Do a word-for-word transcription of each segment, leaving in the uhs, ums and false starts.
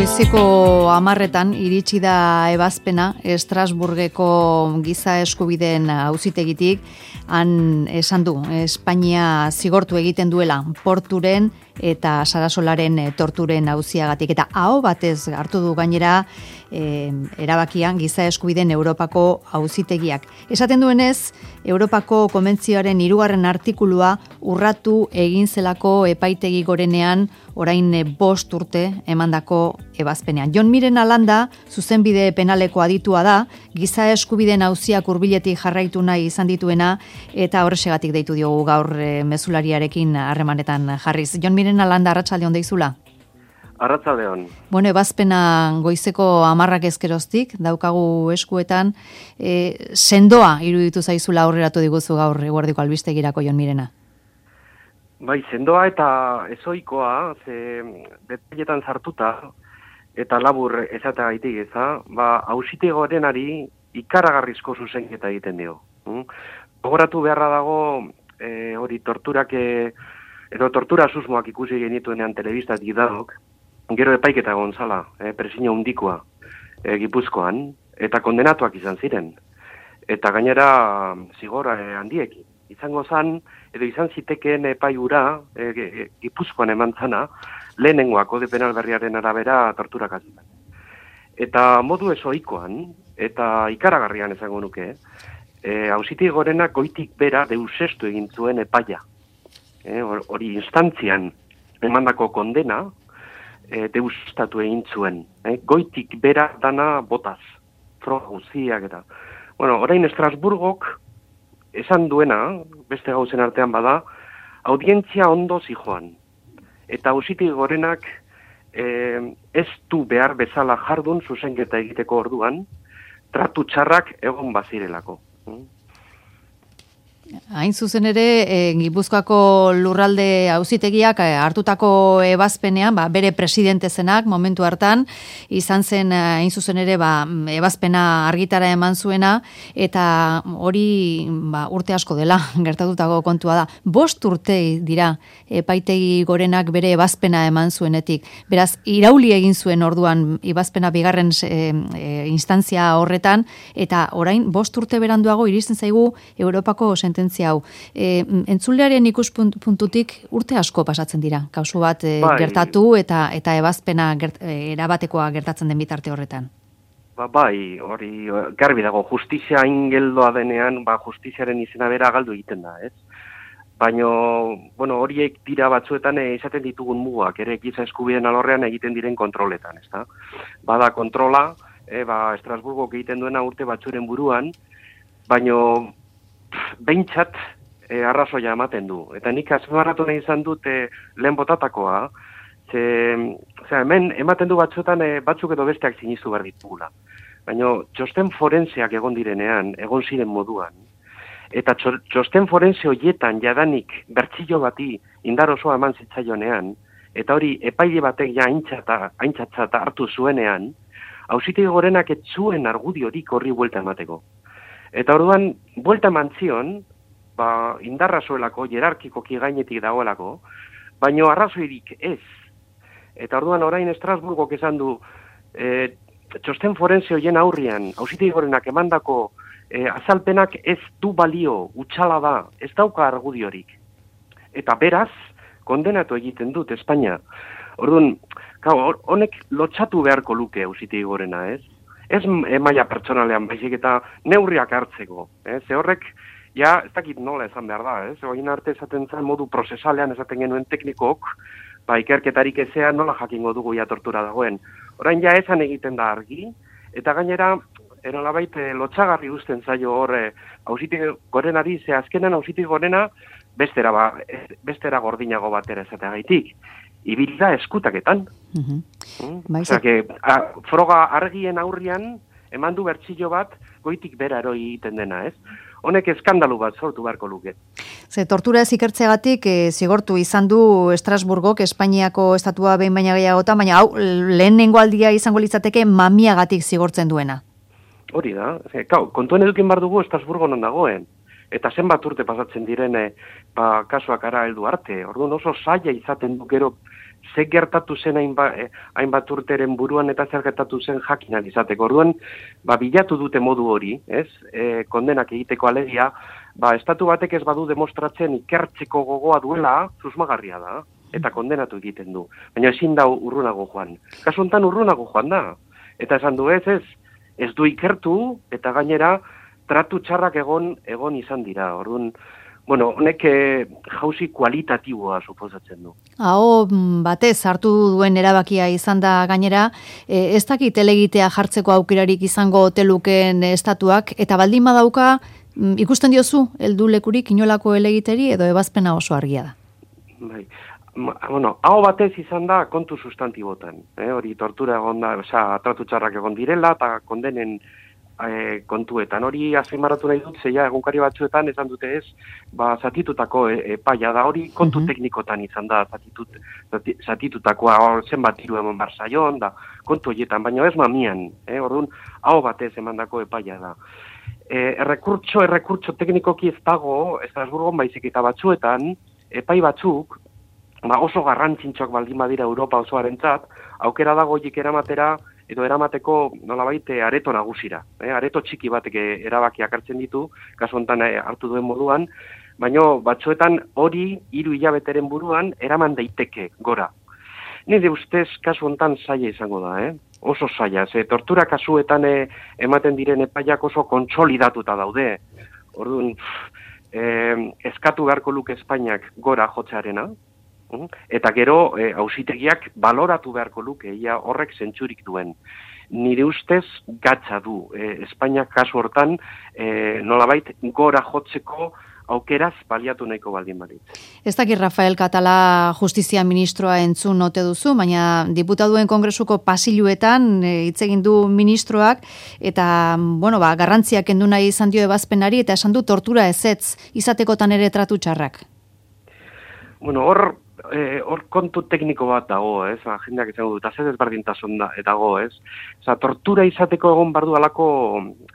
Goizeko hamarretan iritsi da ebazpena Estrasburgeko giza eskubideen auzitegitik. Han esan du, Espainia zigortu egiten duela porturen eta Sarasolaren torturen auziagatik. Eta aho batez hartu du gainera e, erabakian giza eskubideen Europako auzitegiak. Esaten duenez, Europako Konbentzioaren hirugarren artikulua urratu egin zelako epaitegi gorenean orain bost urte emandako ebazpenean. Jon Miren Alanda, zuzenbide penaleko aditua da, giza eskubideen auziak hurbiletik jarraitu nahi izan dituena, eta horrexegatik deitu diogu gaur e, mezulariarekin harremanetan jarriz. Jon Miren Alanda, arratsalde on deizula? Arratsalde on. Bueno, ebazpena goizeko hamarrak ezkeroztik, daukagu eskuetan, e, sendoa iruditu zaizula aurreratu diguzu gaur eguerdiko albistegirako, Jon Mirena. Bai, sendoa eta ezoikoa, ze detailetan sartuta, eta labur esateagaitik eza, ba, auzitegi gorenari ikaragarrizko zuzenketa egiten dio. Mm? Gogoratu beharra dago, e, hori torturak, e, edo tortura susmoak ikusi genituenean telebistak danok, gero epaiketa gonzala, e, presio handikoa, e, Gipuzkoan, eta kondenatuak izan ziren. Eta gainera zigor e, handiekin. Izango zan, edo izan zitekeen epaiura, e, e, Gipuzkoan eman zana, lehenengoa kode penal berriaren arabera torturak azitan. Eta modu ezoikoan, eta ikaragarrian esango nuke, e, auzitegi gorenak goitik bera deusestu egin zuen epaia. E, hori instantzian emandako kondena, e, deusestatu egin zuen. E, goitik bera dana botaz, froga guztiak eta. Bueno, orain Estrasburgok esan duena, beste gauzen artean bada, audientzia ondo zijoan. Eta auzitegi gorenak eh, ez du behar bezala jardun zuzenketa egiteko orduan, tratu txarrak egon bazirelako. Hain zuzen ere, e, Gipuzkoako lurralde auzitegiak e, hartutako ebazpenean, ba, bere presidente zenak momentu hartan, izan zen hain zuzen ere ba, ebazpena argitara eman zuena, eta hori ba, urte asko dela gertatutako kontua da. Bost urte dira epaitegi gorenak bere ebazpena eman zuenetik. Beraz, irauli egin zuen orduan ebazpena bigarren e, e, instantzia horretan, eta orain bost urte beranduago iristen zaigu Europako sententzia hau. E, entzulearen ikuspuntutik urte asko pasatzen dira. Kausu bat e, bai. gertatu eta eta ebazpena gert, e, erabatekoa gertatzen den bitarte horretan. Ba, bai, hori garbi dago, justizia ingeldoa denean, ba, justiziaren izena bera galdu egiten da, ez? Baina, bueno, horiek dira batzuetan e, izaten ditugun mugak, ere giza eskubideen alorrean egiten diren kontroletan, ez da? Bada kontrola, e, ba, Estrasburgok egiten duena urte batzuren buruan, baina behintzat e, arrazoia ematen du. Eta nik azmarratu nahi izan dut e, lehen botatakoa, ze, ze hemen ematen du batzuetan e, batzuk edo besteak sinistu behar ditugula. Baina txosten forenseak egon direnean, egon ziren moduan, eta txosten forense horietan jadanik bertsillo bati indar osoa eman zitzaionean, eta hori epaile batek ja aintzata hartu zuenean, auzitegi gorenak ez zuen argudiorik horri buelta emateko. Eta orduan, buelta eman zion, ba, indarra zuelako, jerarkikoki gainetik dagoelako, baino arrazoirik ez. Eta orduan orain Estrasburgok esan du, e, txosten forense horien aurrian, auzitegi gorenak emandako e, azalpenak ez du balio, utxala da, ez dauka argudiorik. Eta beraz, kondenatu egiten dut Espainia. Orduan, honek lotxatu beharko luke auzitegi gorena, ez? Ez maila pertsonalean, baizik eta neurriak hartzeko. Eh? Ze horrek, ja, ez dakit nola esan behar da, ez? Oin arte esaten zen modu prozesalean esaten genuen teknikok, ba, ikerketarik ezea nola jakingo dugu ja tortura dagoen. Orain ja esan egiten da argi, eta gainera, enolabait, lotxagarri uzten zaio hor, auzitegi gorenari, ze azkenan auzitegi gorena, bestera, ba, bestera gordinago batera esateagaitik. Ibilda eskutaketan. Uh-huh. Mm? Osea, que, a, froga argien aurrian, eman du bertsillo bat, goitik bera eroi egiten dena, ez? Honek eskandalu bat sortu beharko luke. Ze tortura ez ikertzegatik e, zigortu izan du Estrasburgok, Espainiako estatua behin baina gehiagotan, baina hau lehenengo aldia izango litzateke mamiagatik zigortzen duena. Hori da. Kau, kontuen edukin bar dugu Estrasburgo non dagoen. eta zenbat urte pasatzen direne, ba, kasuak ara heldu arte. Orduan oso zaila izaten du gero, ze gertatu zen hainbat, hainbat urteren buruan eta zer gertatu zen jakinan izateko. Orduan, ba, bilatu dute modu hori, ez? E, kondenak egiteko alegia, ba, estatu batek ez badu demostratzen ikertzeko gogoa duela, susmagarria da, eta kondenatu egiten du. Baina ezin da urrunago joan. Kasu honetan urrunago joan da. Eta esan du ez, ez, ez du ikertu, eta gainera, tratu txarrak egon, egon izan dira. Orduan, bueno, honek eh, jauzi kualitatiboa suposatzen du. Aho batez hartu duen erabakia izan da gainera, e, ez dakit elegitea jartzeko aukerarik izango hoteluken estatuak, eta baldin badauka, ikusten diozu, heldu lekurik inolako elegiteri edo ebazpena oso argia da. Bai. Bueno, hau batez izan da kontu sustantibotan. Eh? Hori tortura egon da, oza, tratu txarrak egon direla, eta kondenen e, kontuetan. Hori azpimarratu nahi dut, zeia egunkari batzuetan esan dute ez, ba, zatitutako epaia da, hori kontu mm-hmm. teknikotan izan da, zatitut, zati, zatitutakoa zenbat hiru eman barzaion, da, kontu horietan, baina ez mamian, eh? Orduan, hau batez emandako epaia da. E, errekurtso, errekurtso teknikoki ez dago, Estrasburgon baizik eta batzuetan, epai batzuk, ba oso garrantzintxoak baldin badira Europa osoarentzat, aukera dago horiek eramatera, edo eramateko nolabait areto nagusira. Eh? Areto txiki batek erabakiak hartzen ditu, kasu honetan hartu duen moduan, baina batzuetan hori hiru hilabeteren buruan eraman daiteke gora. Nire ustez kasu honetan zaila izango da, eh? Oso zaila, ze tortura kasuetan eh, ematen diren epaiak oso kontsolidatuta daude. Orduan, eh, eskatu beharko luke Espainiak gora jotzearena, eta gero e, auzitegiak baloratu beharko luke, ia horrek zentzurik duen. Nire ustez gatza du, e, Espainiak kasu hortan e, nolabait gora jotzeko aukeraz baliatu nahiko baldin balit. Ez dakit Rafael Katala justizia ministroa entzun ote duzu, baina diputaduen kongresuko pasiluetan hitz egin du ministroak, eta bueno, ba, garrantziak kendu nahi izan dio ebazpenari, eta esan du tortura ezetz izatekotan ere tratu txarrak. Bueno, hor Eh, hor kontu tekniko bat dago, ez? Ba, jendeak izango dut, azez ezberdintasun da, dago, ez? Oza, tortura izateko egon bardu alako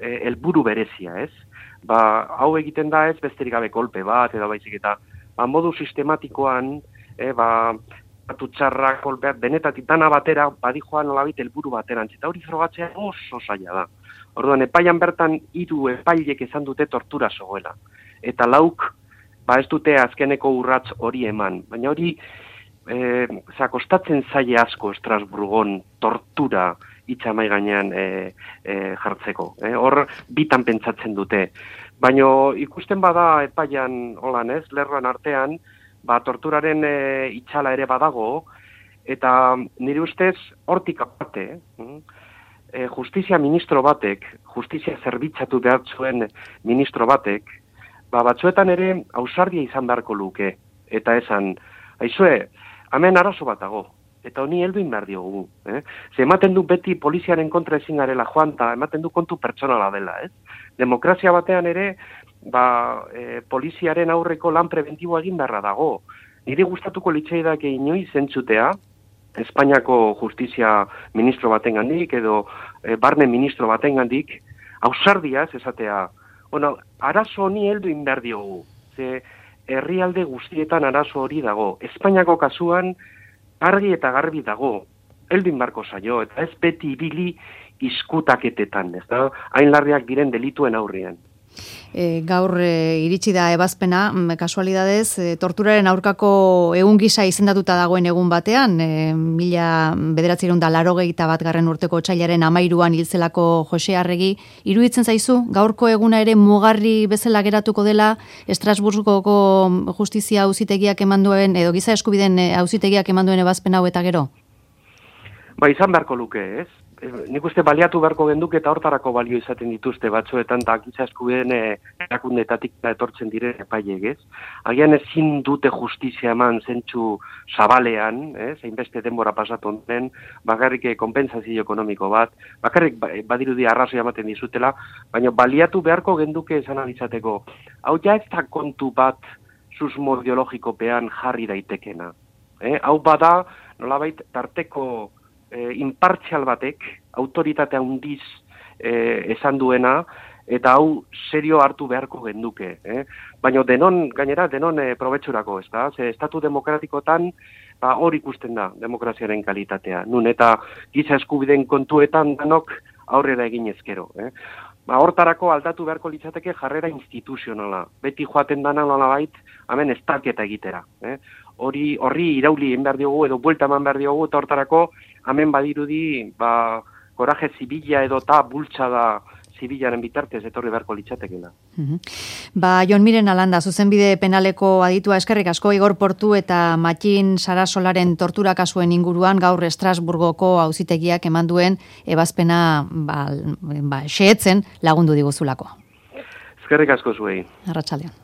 eh, helburu berezia, ez? Ba, hau egiten da ez besterik gabe kolpe bat, edo baizik eta ba, modu sistematikoan, eh, ba, atutxarrak, kolpeak, benetatik dana batera, badijoan nolabit helburu bateran, eta hori frogatzea oso zaila da. Orduan, epaian bertan hiru epailek esan dute tortura zogoela. Eta lauk, ba ez dute azkeneko urrats hori eman. Baina hori, e, kostatzen zaile asko Estrasburgon tortura itxamai gainean e, e, jartzeko. E, hor, bitan pentsatzen dute. Baina ikusten bada epaian, holan ez, lerroan artean, ba torturaren e, itxala ere badago, eta nire ustez hortik aparte, e, justizia ministro batek, justizia zerbitzatu behar zuen ministro batek, ba, batzuetan ere ausardia izan beharko luke, eta esan, aizue, hemen arazo bat dago, eta honi helduin behar diogu. Eh? Ze ematen du beti poliziaren kontra ezin garela joan, eta ematen du kontu pertsonala dela. Ez? Demokrazia batean ere, ba, e, poliziaren aurreko lan preventiboa egin beharra dago. Niri gustatuko litzaidake inoiz entzutea, Espainiako justizia ministro batengandik, edo e, barne ministro batengandik, ausardiaz esatea, bueno, arazo honi heldu behar diogu. Ze herrialde guztietan arazo hori dago. Espainiako kasuan argi eta garbi dago. Heldu beharko zaio, eta ez beti ibili izkutaketetan, ez da? Hain larriak diren delituen aurrean. E, gaur e, iritsi da ebazpena, kasualidadez, e, torturaren aurkako egun gisa izendatuta dagoen egun batean, e, mila bederatziehun eta laurogeita bat garren urteko otsailaren hamairuan hilzelako Jose Arregi, iruditzen zaizu, gaurko eguna ere mugarri bezala geratuko dela Estrasburgoko justizia auzitegiak eman duen, edo giza eskubideen auzitegiak eman duen ebazpen hau eta gero? Ba, izan beharko luke, ez? Nik uste baliatu beharko genduk eta hortarako balio izaten dituzte batzuetan, eta giza eskubideen erakundetatik etortzen diren epaiek, ez? Agian ezin dute justizia eman zentsu zabalean, ez? Hainbeste denbora pasatu onten, bakarrik konpentsazio ekonomiko bat, bakarrik badirudi arrazoi ematen dizutela, baina baliatu beharko genduke esan alizateko. Hau ja ez da kontu bat susmo ideologikopean jarri daitekena. Eh? Hau bada, nolabait, tarteko E, impartzial batek, autoritatea handiz e, esan duena, eta hau serio hartu beharko genduke. Eh? Baina denon, gainera, denon e, probetxurako, ez da? Ze estatu demokratikotan, ba, hor ikusten da, demokraziaren kalitatea. Nun, eta giza eskubideen kontuetan danok aurrera egin ezkero. Eh? Ba, hortarako aldatu beharko litzateke jarrera instituzionala. Beti joaten dana nolabait, hemen estalketa egitera. Eh? Hori, horri irauli egin behar diogu, edo buelta eman behar diogu, eta hortarako hemen badirudi, ba, koraje zibila edo ta bultzada zibilaren bitartez etorri beharko litzatekela. Uh-huh. Ba, Jon Miren Alanda, zuzenbide penaleko aditua eskerrik asko, Igor Portu eta Matxin Sarasolaren tortura kasuen inguruan gaur Estrasburgoko auzitegiak eman duen ebazpena ba, ba, xehetzen lagundu diguzulako. Eskerrik asko zuei. Arratsaldeon.